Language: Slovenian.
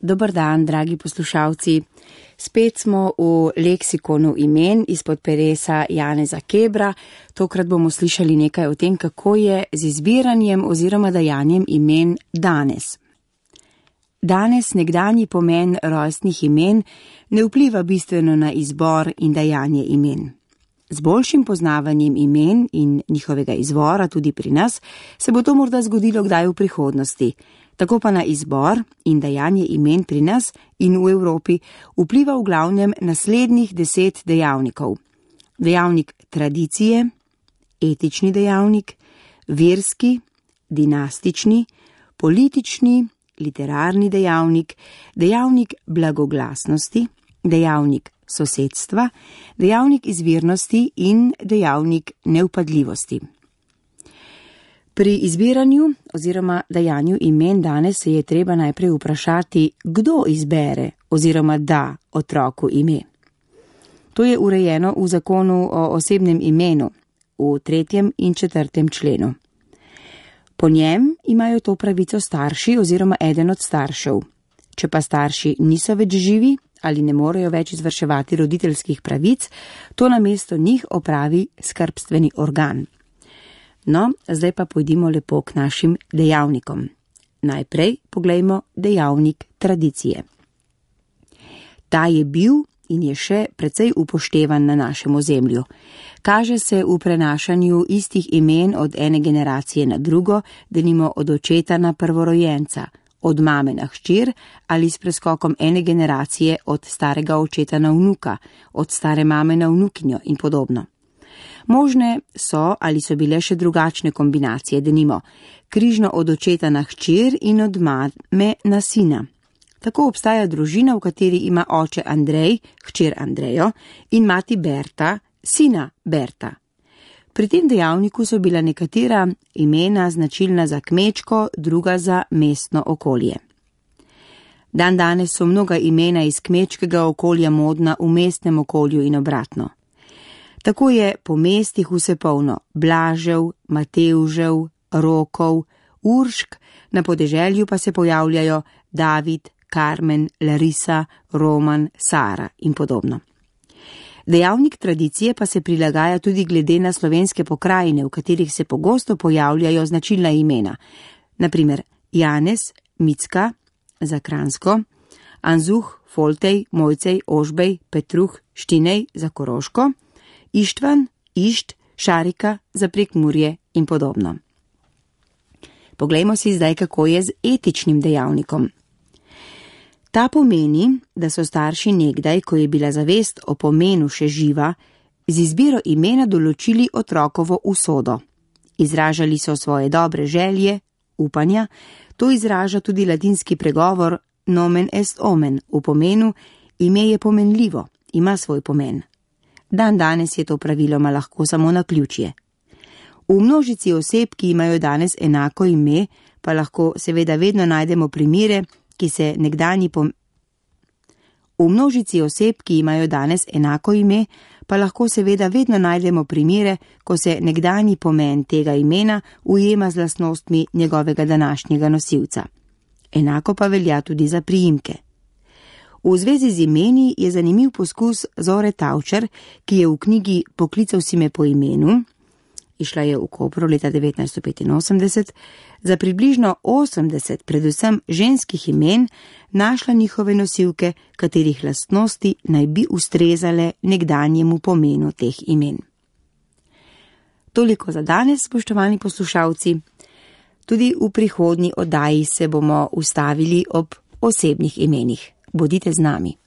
Dober dan, dragi poslušalci. Spet smo v leksikonu imen izpod peresa Janeza Kebra. Tokrat bomo slišali nekaj o tem, kako je z izbiranjem oziroma dajanjem imen danes. Danes nekdanji pomen rojstnih imen ne vpliva bistveno na izbor in dajanje imen. Z boljšim poznavanjem imen in njihovega izvora tudi pri nas se bo to morda zgodilo kdaj v prihodnosti. Tako pa na izbor in dajanje imen pri nas in v Evropi vpliva v glavnem naslednjih 10 dejavnikov. Dejavnik tradicije, etični dejavnik, verski, dinastični, politični, literarni dejavnik, dejavnik blagoglasnosti, dejavnik sosedstva, dejavnik izvirnosti in dejavnik nevpadljivosti. Pri izbiranju oziroma dajanju imen danes se je treba najprej vprašati, kdo izbere oziroma da otroku ime. To je urejeno v zakonu o osebnem imenu v 3. in 4. členu. Po njem imajo to pravico starši oziroma eden od staršev. Če pa starši niso več živi ali ne morejo več izvrševati roditeljskih pravic, to namesto njih opravi skrbstveni organ. No, zdaj pa pojdimo lepo k našim dejavnikom. Najprej poglejmo dejavnik tradicije. Ta je bil in je še precej upoštevan na našem ozemlju. Kaže se v prenašanju istih imen od ene generacije na drugo, denimo od očeta na prvorojenca, od mame na hčer ali s preskokom ene generacije od starega očeta na vnuka, od stare mame na vnukinjo in podobno. Možne so ali so bile še drugačne kombinacije, denimo križno od očeta na hčer in od mame na sina. Tako obstaja družina, v kateri ima oče Andrej, hčer Andrejo in mati Berta, sina Berta. Pri tem dejavniku so bila nekatera imena značilna za kmečko, druga za mestno okolje. Dandanes so mnoga imena iz kmečkega okolja modna v mestnem okolju in obratno. Tako je po mestih vse polno Blažev, Matevžev, Rokov, Uršk, na podeželju pa se pojavljajo David, Karmen, Larisa, Roman, Sara in podobno. Dejavnik tradicije pa se prilagaja tudi glede na slovenske pokrajine, v katerih se pogosto pojavljajo značilna imena. Naprimer Janez, Micka za Kranjsko, Anzuh, Foltej, Mojcej, Ožbej, Petruh, Štinej za Koroško, Ištvan, Išt, Šarika za Prekmurje in podobno. Poglejmo si zdaj, kako je z etičnim dejavnikom. Ta pomeni, da so starši nekdaj, ko je bila zavest o pomenu še živa, z izbiro imena določili otrokovo usodo. Izražali so svoje dobre želje, upanja, to izraža tudi latinski pregovor nomen est omen, v pomenu ime je pomenljivo, ima svoj pomen. Danes je to praviloma lahko samo naključje. V množici oseb, ki imajo danes enako ime, pa lahko seveda vedno najdemo primere, ki se nekdanji V množici oseb, ki imajo danes enako ime, pa lahko seveda vedno najdemo primere, ko se nekdanji pomen tega imena ujema z lastnostmi njegovega današnjega nosilca. Enako pa velja tudi za priimke. V zvezi z imeni je zanimiv poskus Zore Tavčar, ki je v knjigi Poklical si me po imenu, išla je v Kopru leta 1985, za približno 80 predvsem ženskih imen našla njihove nosilke, katerih lastnosti naj bi ustrezale nekdanjemu pomenu teh imen. Toliko za danes, spoštovani poslušalci. Tudi v prihodnji oddaji se bomo ustavili ob osebnih imenih. Bodite z nami.